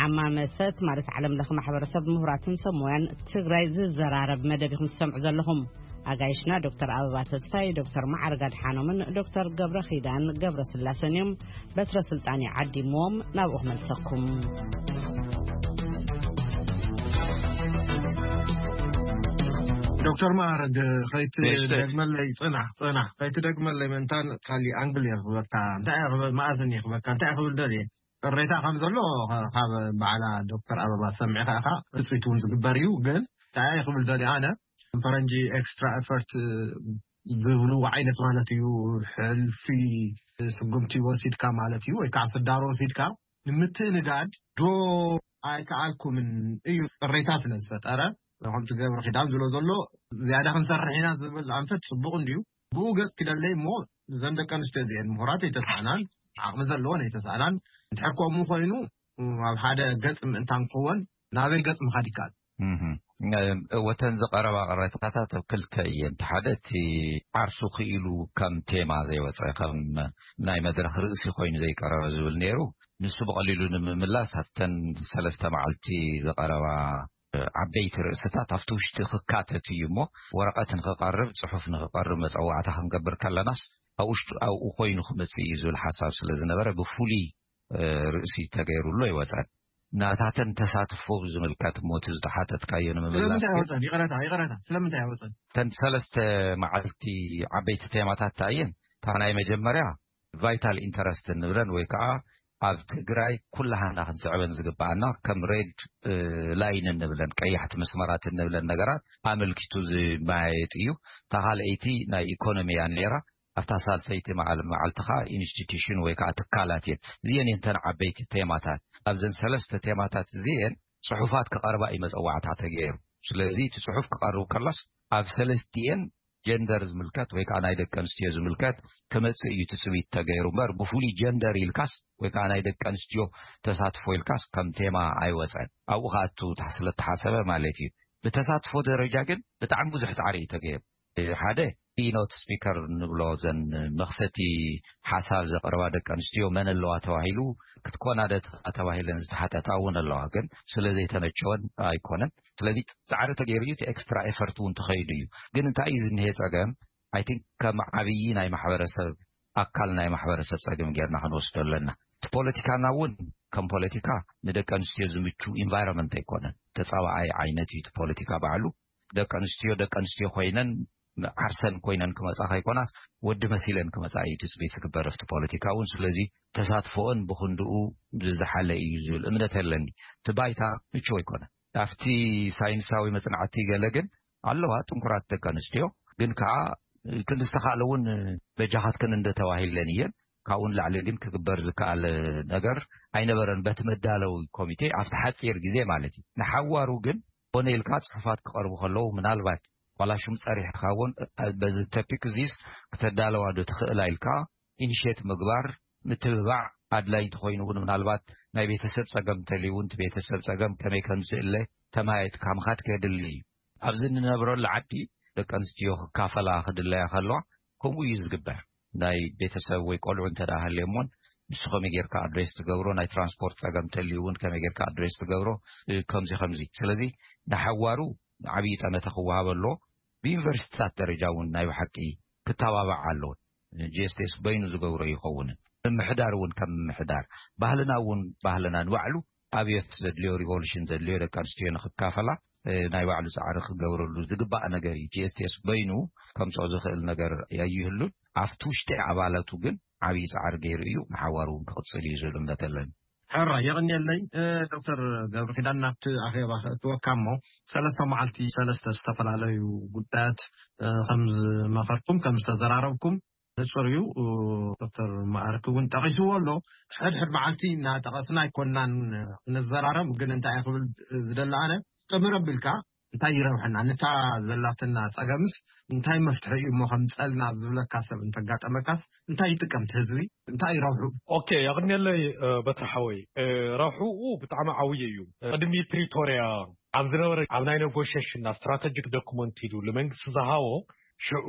ዓማመሰት ማለት ዓለም ለኸ ማሕበረሰብ ምሁራትን ሰብ ሞያን ትግራይ ዝዘራረብ መደብ ኢኹም ትሰምዑ ዘለኹም። ኣጋይሽና ዶክተር ኣበባ ተስፋይ፣ ዶክተር መዓርግ ኣድሓኖምን ዶክተር ገብረ ኺዳን ገብረ ስላሰን እዮም። በትረ ስልጣን ይዓዲምዎም ናብኡ ክመልሰኩም። ዶክተር መዓርግ ከይትደግመለይ ጽናሕ ጽናሕ ከይትደግመለይ መንታን ካሊ ኣንግል እየ ክብለካ እንታይ እየ ክብል መኣዝን እየ ክብለካ እንታይ እየ ክብል ደልየ ቅሬታ ከም ዘሎ ካብ በዓላ ዶክተር ኣበባ ሰሚዕካ ኢኻ ትፅቢት እውን ዝግበር እዩ ግን እንታይ እየ ክብል ደልየ ኣነ ፈረንጂ ኤክስትራ ኤፈርት ዝብሉ ዓይነት ማለት እዩ። ሕልፊ ስጉምቲ ወሲድካ ማለት እዩ ወይ ከዓ ስዳሮ ወሲድካ ንምትእንጋድ ዶ ኣይከኣልኩምን እዩ ቅሬታ ስለ ዝፈጠረ። ከምቲ ገብረ ኪዳን ዝብሎ ዘሎ ዝያዳ ክንሰርሕ ኢና ዝብል ኣንፈት ፅቡቅ እንድዩ። ብኡ ገፅ ክደለይ እሞ እዘን ደቂ ኣንስትዮ እዚአን ምሁራት ኣይተስኣናን ዓቕሚ ዘለዎን ኣይተስኣናን እንድሕር ከምኡ ኮይኑ ኣብ ሓደ ገጽ ምእንታን ክወን ናበይ ገጽ ምኻድ ይከኣል? ወተን ዝቀረባ ቅሬታታት ኣብ ክልተ እየን። ሓደ እቲ ዓርሱ ክኢሉ ከም ቴማ ዘይወፀ ከም ናይ መድረክ ርእሲ ኮይኑ ዘይቀረበ ዝብል ነይሩ። ንሱ ብቀሊሉ ንምምላስ ኣብተን ሰለስተ መዓልቲ ዝቀረባ ዓበይቲ ርእስታት ኣብቲ ውሽጢ ክካተት እዩ እሞ ወረቀት ንክቀርብ ፅሑፍ ንክቀርብ መፀዋዕታ ክንገብር ከለናስ ኣብ ውሽጡ ኣብኡ ኮይኑ ክመፅእ እዩ ዝብል ሓሳብ ስለ ዝነበረ ብፍሉይ ርእሲ ተገይሩሉ ኣይወፀን። ናታተን ተሳትፎ ዝምልከት ሞት ዝተሓተትካዮ ንምምላስ ስለምንታይ ኣይወፀን? ይቅረታ ይቅረታ ስለምንታይ ኣይወፀን? ተን ሰለስተ መዓልቲ ዓበይቲ ቴማታት እየን። እታ ናይ መጀመርያ ቫይታል ኢንተረስት እንብለን ወይ ከዓ ኣብ ትግራይ ኩላሃና ክንስዕበን ዝግባኣና ከም ሬድ ላይን እንብለን ቀያሕቲ መስመራት እንብለን ነገራት ኣመልኪቱ ዝመያየጥ እዩ። እታ ካልኣይቲ ናይ ኢኮኖሚ እያ ነይራ። ኣብታ ሳልሰይቲ መዓል መዓልቲ ከዓ ኢንስቲትዩሽን ወይ ከዓ ትካላት እየን። እዚአን እየን ተን ዓበይቲ ቴማታት። ኣብዘን ሰለስተ ቴማታት እዚአን ፅሑፋት ክቐርባ እዩ መፀዋዕታ ተገይሩ። ስለዚ እቲ ፅሑፍ ክቐርብ ከሎስ ኣብ ሰለስቲአን ጀንደር ዝምልከት ወይ ከዓ ናይ ደቂ ኣንስትዮ ዝምልከት ክመፅእ እዩ ትፅቢት ተገይሩ እምበር ብፍሉይ ጀንደር ኢልካስ ወይ ከዓ ናይ ደቂ ኣንስትዮ ተሳትፎ ኢልካስ ከም ቴማ ኣይወፀን። ኣብኡ ከኣቱ ስለተሓሰበ ማለት እዩ። ብተሳትፎ ደረጃ ግን ብጣዕሚ ብዙሕ ፃዕሪ እዩ ተገይሩ። ሓደ ኪኖት ስፒከር ንብሎ ዘን መኽፈቲ ሓሳብ ዘቕረባ ደቂ ኣንስትዮ መን ኣለዋ ተባሂሉ ክትኮና ደ ተባሂለን ዝተሓተታ እውን ኣለዋ ግን ስለ ዘይተመቸወን ኣይኮነን። ስለዚ ፃዕሪ ተገይሩ እዩ እቲ ኤክስትራ ኤፈርት እውን ተኸይዱ እዩ። ግን እንታይ እዩ ዝኒሄ ፀገም? ኣይ ቲንክ ከም ዓብዪ ናይ ማሕበረሰብ ኣካል ናይ ማሕበረሰብ ፀገም ጌርና ክንወስዶ ኣለና። እቲ ፖለቲካና እውን ከም ፖለቲካ ንደቂ ኣንስትዮ ዝምቹ ኢንቫይሮንመንት ኣይኮነን። ተፃባኣይ ዓይነት እዩ እቲ ፖለቲካ ባዕሉ። ደቂ ኣንስትዮ ደቂ ኣንስትዮ ኮይነን ዓርሰን ኮይነን ክመፃ ከይኮናስ ወዲ መሲለን ክመፃ እዩ ትፅቢት ዝግበር ኣብቲ ፖለቲካ እውን። ስለዚ ተሳትፎኦን ብክንድኡ ዝዝሓለ እዩ ዝብል እምነት ኣለኒ። እቲ ባይታ ምቹው ኣይኮነን። ኣብቲ ሳይንሳዊ መፅናዕቲ ገለ ግን ኣለዋ ጥንኩራት ደቂ ኣንስትዮ ግን ከዓ ክንዲ ዝተኻእለ እውን በጃኻትክን እንደተባሂለን እየን። ካብኡ ንላዕሊ ግን ክግበር ዝከኣል ነገር ኣይነበረን። በቲ መዳለዊ ኮሚቴ ኣብቲ ሓፂር ግዜ ማለት እዩ። ንሓዋሩ ግን ኮነ ኢልካ ፅሑፋት ክቐርቡ ከለዉ ምናልባት ዋላ ሽም ፀሪሕካ እውን በዚ ተፒክ እዚስ ክተዳለዋ ዶ ትኽእላ ኢልካ ኢኒሼት ምግባር ምትብባዕ ኣድላይ እንተኾይኑ እውን ምናልባት ናይ ቤተሰብ ፀገም እንተልዩ እውን እቲ ቤተሰብ ፀገም ከመይ ከም ዝእለ ተማየጥካ ምኻድ ከድሊ እዩ። ኣብዚ እንነብረሉ ዓዲ ደቂ ኣንስትዮ ክካፈላ ክድለያ ከለዋ ከምኡ እዩ ዝግበር። ናይ ቤተሰብ ወይ ቆልዑ እንተ ደኣ ሃልዮሞን ንሱ ከመይ ጌርካ ኣድሬስ ትገብሮ፣ ናይ ትራንስፖርት ጸገም እንተልዩ እውን ከመይ ጌርካ ኣድሬስ ትገብሮ፣ እ፣ ከምዚ ከምዚ። ስለዚ ንሓዋሩ ዓብዪ ጠመተ ክወሃብ ኣለዎ። ብዩኒቨርሲቲታት ደረጃ እውን ናይ ብሓቂ ክተባባዕ ኣለዎ። ጂ ኤስ ቲ ኤስ በይኑ ዝገብሮ ይኸውን። ምምሕዳር እውን ከም ምምሕዳር፣ ባህልና እውን ባህልና ንባዕሉ ኣብዮት ዘድልዮ፣ ሪቮሉሽን ዘድልዮ ደቂ ኣንስትዮ ንክካፈላ፣ እ፣ ናይ ባዕሉ ጻዕሪ ክገብረሉ ዝግባእ ነገር እዩ። ጂ ኤስ ቲ ኤስ በይኑ ከምጽኦ ዝኽእል ነገር ኣይህሉን። ኣብቲ ውሽጢ ኣባላቱ ግን ዓብዪ ጻዕሪ ገይሩ እዩ። ንሓዋሩ እውን ክቕጽል እዩ ዝብል እምነት ኣለኒ። ሕራ የቕንየለይ። እ፣ ዶክተር ገብረ ኪዳን፣ ናብቲ ኣኼባ ከእትወካ እሞ፣ ሰለስተ መዓልቲ ሰለስተ ዝተፈላለዩ ጉዳያት፣ እ፣ ከም ዝመኸርኩም፣ ከም ዝተዘራረብኩም ንጹር እዩ። እ፣ ዶክተር መዓርክ እውን ጠቒስዎ ኣሎ። ሕድሕድ መዓልቲ እናጠቐስና ኣይኮንናን ንዘራረብ፣ ግን እንታይ ክብል ዝደሊ ኣነ፣ ጥምር ኣቢልካ እንታይ ይረብሐና፣ ነታ ዘላትና ጸገምስ እንታይ መፍትሒ እዩ እሞ ከምጸልና ዝብለካ ሰብ እንተጋጠመካስ እንታይ ይጥቀም እቲ ህዝቢ፣ እንታይ ይረብሑ? ኦኬ፣ የቕንየለይ፣ እ፣ በትሪ ሓወይ። እ፣ ረብሕኡ ብጣዕሚ ዓብዪ እዩ። ቅድሚ ፕሪቶርያ ኣብ ዝነበረ፣ ኣብ ናይ ኔጎሽሽንና ስትራተጂክ ዶኩመንት ኢሉ ንመንግስቲ ዝሃቦ፣ ሽዑ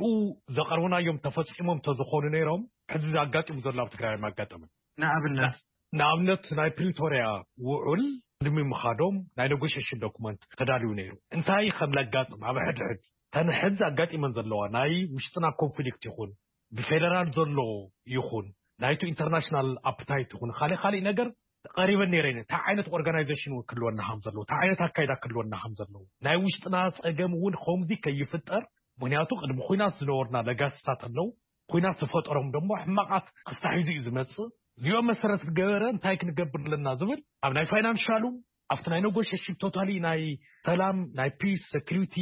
ዘቐርብናዮም ተፈጺሞም ተዝኾኑ ነይሮም፣ ሕዚ ኣጋጢሙ ዘሎ ኣብ ትግራይ ኣጋጠመን። ንኣብነት? ንኣብነት ናይ ፕሪቶርያ ውዑል ቅድሚ ምኻዶም ናይ ኔጎሽሽን ዶኩመንት ተዳልዩ ነይሩ። እንታይ ከም ለጋጥም ኣብ ሕድሕድ ተን ሕዚ ኣጋጢመን ዘለዋ ናይ ውሽጥና ኮንፍሊክት ይኹን፣ ብፌደራል ዘሎ ይኹን፣ ናይቱ ኢንተርናሽናል ኣፕታይት ይኹን፣ ካልእ ካልእ ነገር ቀሪበን ነይረን። እንታይ ዓይነት ኦርጋናይዜሽን እውን ክህልወና ከም ዘለዎ፣ እንታይ ዓይነት ኣካይዳ ክህልወና ከም ዘለዎ፣ ናይ ውሽጥና ጸገም እውን ከምዚ ከይፍጠር፣ ምኽንያቱ ቅድሚ ኹናት ዝነበሩና ለጋስታት ኣለዉ። ኲናት ዝፈጠሮም ደሞ ሕማቓት ክስታሒዙ እዩ ዝመጽእ። እዚኦም መሰረት ዝገበረ እንታይ ክንገብር ኣለና ዝብል ኣብ ናይ ፋይናንሻሉ፣ ኣብቲ ናይ ኔጎሽሽን ቶታሊ ናይ ሰላም፣ ናይ ፒስ፣ ሴኩሪቲ፣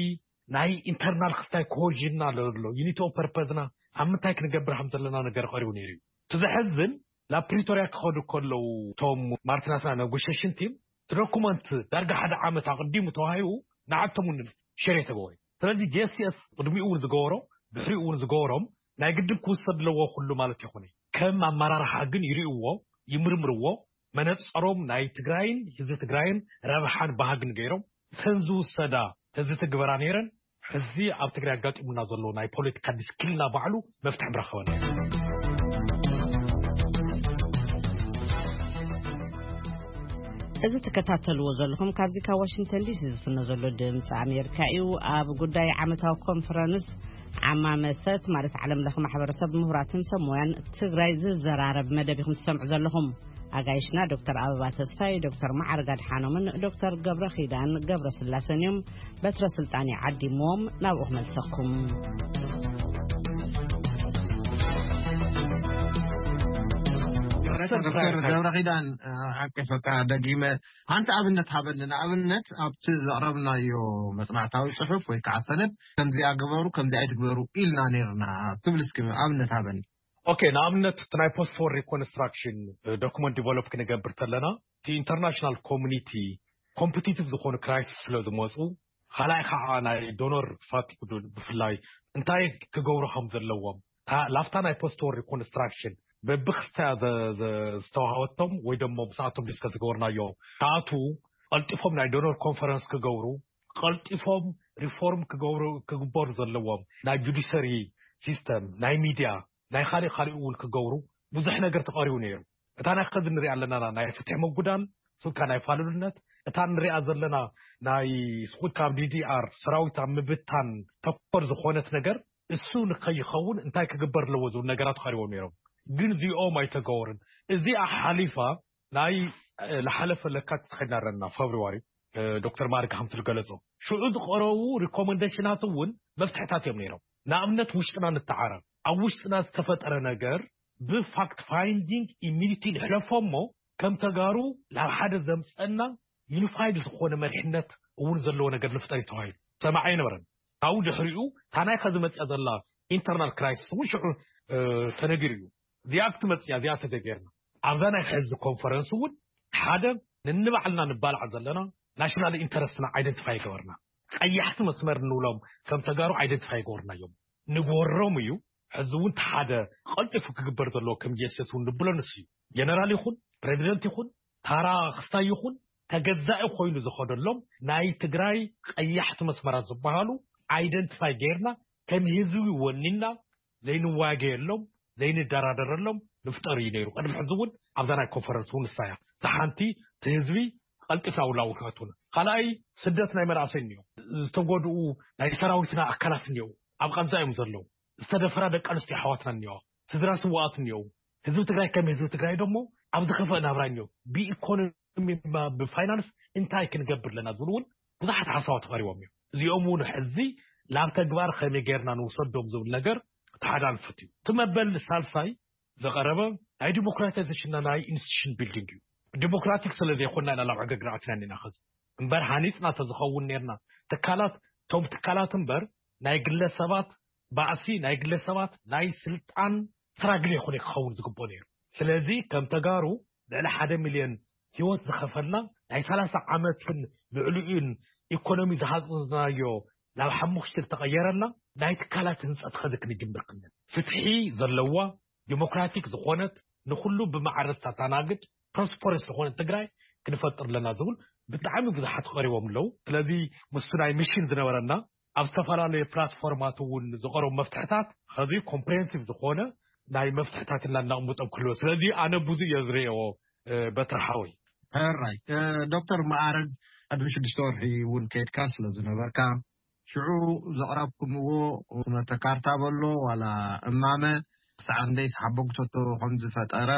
ናይ ኢንተርናል ክስታይ ኮሄዥንና ዘሎ ዩኒቲ ኦፍ ፐርፐዝና ኣብ ምንታይ ክንገብር ከም ዘለና ነገር ቀሪቡ ነይሩ እዩ። እቲ ዘሕዝን ናብ ፕሪቶርያ ክኸዱ ከለዉ እቶም ማርቲናትና ኔጎሽሽን ቲም እቲ ዶኩመንት ዳርጋ ሓደ ዓመት ኣቕዲሙ ተዋሂቡ ንዓቶም እውን ሸር የተገበሩ። ስለዚ ጂ ኤስ ቲ ኤስ ቅድሚኡ እውን ዝገበሮ ድሕሪኡ እውን ዝገበሮም ናይ ግድን ክውሰድ ኣለዎ ኩሉ ማለት ይኹን ከም ኣመራርሓ ግን ይርእዎ፣ ይምርምርዎ። መነጸሮም ናይ ትግራይን ህዝቢ ትግራይን ረብሓን ባህግን ገይሮም ተን ዝውሰዳ ተዝትግበራ ነይረን ሕዚ ኣብ ትግራይ ኣጋጢሙና ዘሎ ናይ ፖለቲካ ዲስክልና ባዕሉ መፍትሒ ምረኸበና። እዚ ትከታተልዎ ዘለኹም ካብዚ ካብ ዋሽንግተን ዲሲ ዝፍኖ ዘሎ ድምፂ ኣሜሪካ እዩ። ኣብ ጉዳይ ዓመታዊ ኮንፈረንስ ዓማመሰት ማለት ዓለም ለኸ ማሕበረሰብ ምሁራትን ሰብ ሞያን ትግራይ ዝዘራረብ መደብ ኢኹም ትሰምዑ ዘለኹም። ኣጋይሽና ዶክተር ኣበባ ተስፋይ፣ ዶክተር መዓርግ ኣድሓኖምን ዶክተር ገብረ ኺዳን ገብረ ስላሰን እዮም። በትረ ስልጣን ይዓዲምዎም ናብኡ ክመልሰኩም። ዶክተር ገብረ ኪዳን፣ ዓቂፈካ ደጊመ ሓንቲ ኣብነት ሃበኒ። ንኣብነት ኣብቲ ዘቕረብናዮ መጽናዕታዊ ጽሑፍ ወይ ከዓ ሰነድ ከምዚኣ ግበሩ ከምዚኣ ኣይትግበሩ ኢልና ነይርና ትብል እስኪ ኣብነት ሃበኒ። ኦኬ፣ ንኣብነት እቲ ናይ ፖስት ዎር ሪኮንስትራክሽን ዶኩመንት ዲቨሎፕ ክንገብር ተለና እቲ ኢንተርናሽናል ኮሚኒቲ ኮምፒቲቲቭ ዝኾኑ ክራይሲስ ስለ ዝመፁ፣ ካልኣይ ከዓ ናይ ዶኖር ፋቲግ ብፍላይ እንታይ ክገብሩ ከም ዘለዎም፣ ላፍታ ናይ ፖስት ዎር ሪኮንስትራክሽን በብክልተያ ዝተዋሃበቶም ወይ ደሞ ምስኣቶም ዲስከስ ዝገበርናዮ ክኣትዉ ቀልጢፎም ናይ ዶኖር ኮንፈረንስ ክገብሩ፣ ቀልጢፎም ሪፎርም ክገብሩ ክግበሩ ዘለዎም ናይ ጁዲሸሪ ሲስተም፣ ናይ ሚድያ፣ ናይ ካልእ ካልእ እውን ክገብሩ ብዙሕ ነገር ተቐሪቡ ነይሩ። እታ ናይ ከዚ ንሪኣ ኣለና ናይ ፍትሒ ምጉዳል፣ ስልካ ናይ ፋሉልነት፣ እታ ንሪኣ ዘለና ናይ ስኹት ካብ ዲዲኣር ሰራዊት ኣብ ምብታን ተኮር ዝኾነት ነገር እሱ ንከይኸውን እንታይ ክግበር ኣለዎ ዝብል ነገራት ቀሪቦም ነይሮም። ግን እዚኦም ኣይተገበሩን። እዚኣ ሓሊፋ ናይ ዝሓለፈ ለካቲት ዝኸድና ኣለና፣ ፌብርዋሪ፣ ዶክተር ማርግ ከምቲ ዝገለጾ ሽዑ ዝቐረቡ ሪኮመንዴሽናት እውን መፍትሕታት እዮም ነይሮም። ንኣብነት ውሽጥና ንተዓረር፣ ኣብ ውሽጥና ዝተፈጠረ ነገር ብፋክት ፋይንዲንግ ኢሚዲቲ ንሕለፎ እሞ ከም ተጋሩ ናብ ሓደ ዘምፀና ዩኒፋይድ ዝኾነ መሪሕነት እውን ዘለዎ ነገር ንፍጠር እዩ ተባሂሉ ሰማዕ ኣይነበረን። ካብኡ ድሕሪኡ እታ ናይ ከዚ መፅያ ዘላ ኢንተርናል ክራይሲስ እውን ሽዑ ተነጊሩ እዩ። እዚኣ ክትመፅእ እያ፣ እዚኣ ተዘይገይርና ኣብዛ ናይ ሕዚ ኮንፈረንስ እውን ሓደ ንንባዕልና ንባላዕ ዘለና ናሽናል ኢንተረስትና ኣይደንቲፋይ ይገበርና። ቀያሕቲ መስመር እንብሎም ከም ተጋሩ ኣይደንቲፋይ ይገበርና እዮም። ንጎሮም እዩ። ሕዚ እውን ሓደ ቀልጢፉ ክግበር ዘለዎ ከም ጀስቲስ እውን ንብሎ ንሱ እዩ። ጀነራል ይኹን ፕሬዚደንት ይኹን ታራ ክስታይ ይኹን ተገዛኢ ኮይኑ ዝኸደሎም ናይ ትግራይ ቀያሕቲ መስመራት ዝበሃሉ ኣይደንቲፋይ ገይርና ከም ህዝቢ ወኒና ዘይንዋገየሎም ዘይንደራደረሎም ንፍጠር እዩ ነይሩ። ቅድሚ ሕዚ እውን ኣብዛ ናይ ኮንፈረንስ እውን ንሳያ ዝሓንቲ እቲ ህዝቢ ቀልጢፋ ውላው ክኸቱን ካልኣይ ስደት ናይ መናእሰይ እኒኦ ዝተጎድኡ ናይ ሰራዊትና ኣካላት እኒኦ ኣብ ቃንዛ እዮም ዘለዉ ዝተደፈራ ደቂ ኣንስትዮ ኣሕዋትና እኒኦ ስድራ ስዋኣት እኒኦ ህዝቢ ትግራይ ከም ህዝቢ ትግራይ ደሞ ኣብ ዝኸፈእ ናብራ እኒኦ ብኢኮኖሚ ብፋይናንስ እንታይ ክንገብር ኣለና ዝብሉ እውን ብዙሓት ሓሳባት ተቐሪቦም እዮም። እዚኦም እውን ሕዚ ናብ ተግባር ከመይ ገይርና ንውሰዶም ዝብል ነገር እቲ ሓደ ኣንፈት እዩ። እቲ መበል ሳልሳይ ዘቐረበ ናይ ዲሞክራታይዜሽንና ናይ ኢንስቲቱሽን ቢልዲንግ እዩ። ዲሞክራቲክ ስለ ዘይኮንና ኢና ናብ ዕግርግር ኣቲና እኒና። ከዚ እምበር ሃኒፅና ተዝኸውን ነርና ትካላት ቶም ትካላት እምበር ናይ ግለሰባት ባእሲ ናይ ግለሰባት ናይ ስልጣን ስራግል ይኹን ክኸውን ዝግቦ ነይሩ። ስለዚ ከም ተጋሩ ልዕሊ ሓደ ሚልዮን ህይወት ዝኸፈልና ናይ ሰላሳ ዓመትን ልዕሊኡን ኢኮኖሚ ዝሃዝናዮ ናብ ሓሙሽተ ዝተቐየረልና ናይ ትካላት ህንፀት ኸዚ ክንጅምር ክንል ፍትሒ ዘለዋ ዲሞክራቲክ ዝኾነት ንኩሉ ብማዕረ ተተናግድ ፕሮስፐረስ ዝኾነት ትግራይ ክንፈጥር ኣለና ዝብል ብጣዕሚ ብዙሓት ቀሪቦም ኣለዉ። ስለዚ ምስ ናይ ሚሽን ዝነበረና ኣብ ዝተፈላለዩ ፕላትፎርማት እውን ዝቐረቡ መፍትሕታት ኸዚ ኮምፕሬንሲቭ ዝኾነ ናይ መፍትሕታት እናናቕምጦም ክህልዎ ስለዚ ኣነ ብዙ እየ ዝርእዎ። በትሪ ሓወይ። ሕራይ ዶክተር መኣረግ ቅድሚ ሽዱሽተ ወርሒ እውን ከይድካ ስለ ዝነበርካ ሽዑ ዘቕረብኩምዎ ኩነተ ካርታ በሎ ዋላ እማመ ክሳዕ ክንደይ ሓበግቶቶ ከም ዝፈጠረ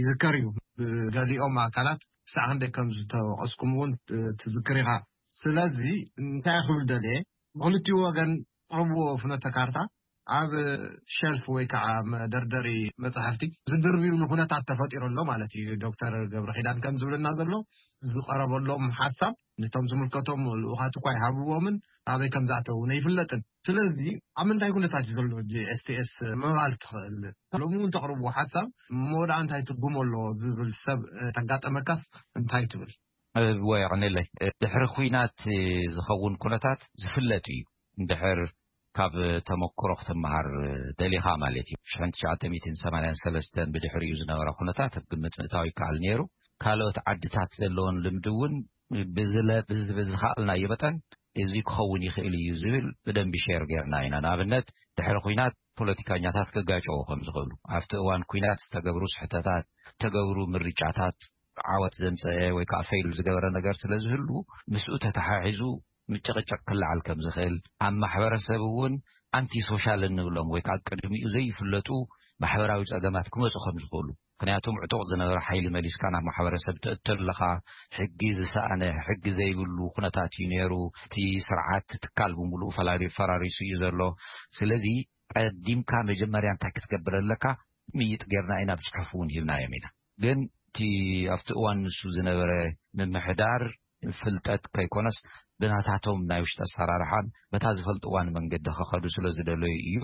ይዝከር እዩ። ብገሊኦም ኣካላት ክሳዕ ክንደይ ከም ዝተወቐስኩም እውን ትዝክር ኢኻ። ስለዚ እንታይ ክብል ደልየ ብክልቲኡ ወገን ትቕርብዎ ፍኖተ ካርታ ኣብ ሸልፍ ወይ ከዓ መደርደሪ መፅሕፍቲ ዝድርብዩሉ ኩነታት ተፈጢሩ ኣሎ ማለት እዩ። ዶክተር ገብረ ኪዳን ከም ዝብልና ዘሎ ዝቐረበሎም ሓሳብ ነቶም ዝምልከቶም ልኡኻት እኳ ይሃብዎምን ኣበይ ከም ዝኣተው ኣይፍለጥን። ስለዚ ኣብ ምንታይ ኩነታት እዩ ዘሎ እዚ ኤስቲኤስ ምባል ትኽእል? ሎሚ እውን ተቕርብዎ ሓሳብ መወዳኣ እንታይ ትርጉም ኣለዎ ዝብል ሰብ ተጋጠመካስ እንታይ ትብል? ወይ ኣቕንለይ ድሕሪ ኩናት ዝኸውን ኩነታት ዝፍለጥ እዩ። እንድሕር ካብ ተመክሮ ክትመሃር ደሊኻ ማለት እዩ። ሽሕን ትሽዓተ ሚእትን ሰማንያን ሰለስተን ብድሕሪኡ ዝነበረ ኩነታት ኣብ ግምት ምእታው ይከኣል ነይሩ። ካልኦት ዓድታት ዘለዎን ልምዲ እውን ብዝለ ብዝበዝኻኣልናዮ መጠን እዚ ክኸውን ይኽእል እዩ ዝብል ብደንቢ ሸር ጌርና ኢና። ንኣብነት ድሕሪ ኩናት ፖለቲካኛታት ክጋጨዎ ከም ዝኽእሉ ኣብቲ እዋን ኩናት ዝተገብሩ ስሕተታት፣ ዝተገብሩ ምርጫታት ዓወት ዘምፀአ ወይ ከዓ ፈይል ዝገበረ ነገር ስለ ዝህሉ ምስኡ ተተሓሒዙ ምጭቕጭቕ ክለዓል ከም ዝኽእል ኣብ ማሕበረሰብ እውን ኣንቲ ሶሻል እንብሎም ወይ ከዓ ቅድሚኡ ዘይፍለጡ ማሕበራዊ ፀገማት ክመፁ ከም ዝኽእሉ ምክንያቱም ዕጡቕ ዝነበረ ሓይሊ መሊስካ ናብ ማሕበረሰብ ተእቶ ኣለኻ። ሕጊ ዝሰኣነ ሕጊ ዘይብሉ ኩነታት እዩ ነይሩ። እቲ ስርዓት ትካል ብምሉእ ፈራሪሱ እዩ ዘሎ። ስለዚ ቀዲምካ መጀመርያ እንታይ ክትገብር ኣለካ ምይጥ ጌርና ኢና ብፅሑፍ እውን ሂብናዮም ኢና። ግን እቲ ኣብቲ እዋን ንሱ ዝነበረ ምምሕዳር ፍልጠት ከይኮነስ ብናታቶም ናይ ውሽጢ ኣሰራርሓን በታ ዝፈልጥዋን መንገዲ ከኸዱ ስለ ዝደለዩ እዩ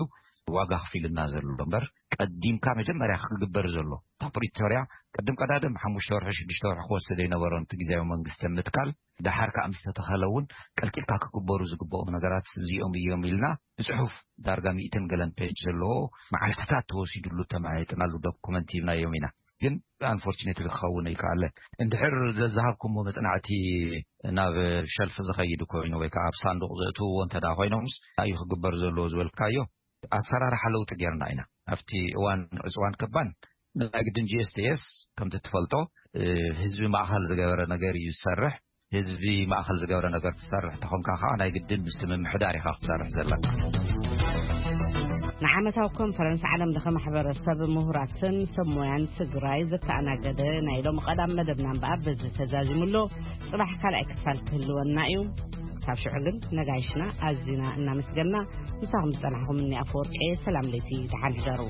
ዋጋ ክፊልና ዘሎ እምበር ቀዲምካ መጀመርያ ክግበር ዘሎ እታ ፕሪቶርያ ቅድም ቀዳድም ሓሙሽተ ወርሒ ሽዱሽተ ወርሒ ክወስድ ኣይነበሮን እቲ ግዜያዊ መንግስቲ ምትካል። ደሓር ከዓ ምስ ተተኸለ እውን ቀልጢፍካ ክግበሩ ዝግበኦም ነገራት እዚኦም እዮም ኢልና ብፅሑፍ ዳርጋ ሚእትን ገለን ፔጅ ዘለዎ መዓልትታት ተወሲድሉ ተመያይጥናሉ ዶኩመንት ሂብናዮም ኢና። ግን ኣንፎርችኔትሊ ክኸውን ኣይከኣለን። እንድሕር ዘዝሃብኩሞ መፅናዕቲ ናብ ሸልፍ ዝኸይድ ኮይኑ ወይ ከዓ ኣብ ሳንዱቕ ዘእትውዎ እንተ ኮይኖምስ እንታይ እዩ ክግበር ዘለዎ ዝበልካዮ ኣሰራርሓ ለውጢ ጌርና ኢና። ኣብቲ እዋን ዕፅዋን ክባን ናይ ግድን ጂ ኤስ ቲ ኤስ ከምቲ ትፈልጦ ህዝቢ ማእኸል ዝገበረ ነገር እዩ ዝሰርሕ። ህዝቢ ማእኸል ዝገበረ ነገር ትሰርሕ ተኾንካ ከዓ ናይ ግድን ምስቲ ምምሕዳር ኢኻ ክትሰርሕ ዘለካ። ንዓመታዊ ኮንፈረንስ ዓለም ለኸ ማሕበረሰብ ምሁራትን ሰብ ሞያን ትግራይ ዘተኣናገደ ናይ ሎም ቀዳም መደብና እምበኣር በዚ ተዛዚሙ ኣሎ። ፅባሕ ካልኣይ ክፋል ክህልወና እዩ። ክሳብ ሽዑ ግን ነጋይሽና ኣዚና እናመስገና ምሳኹም ዝፀናሕኹም እኒ ኣፈወርቂ ሰላም ለይቲ ደሓን ሕደሩ።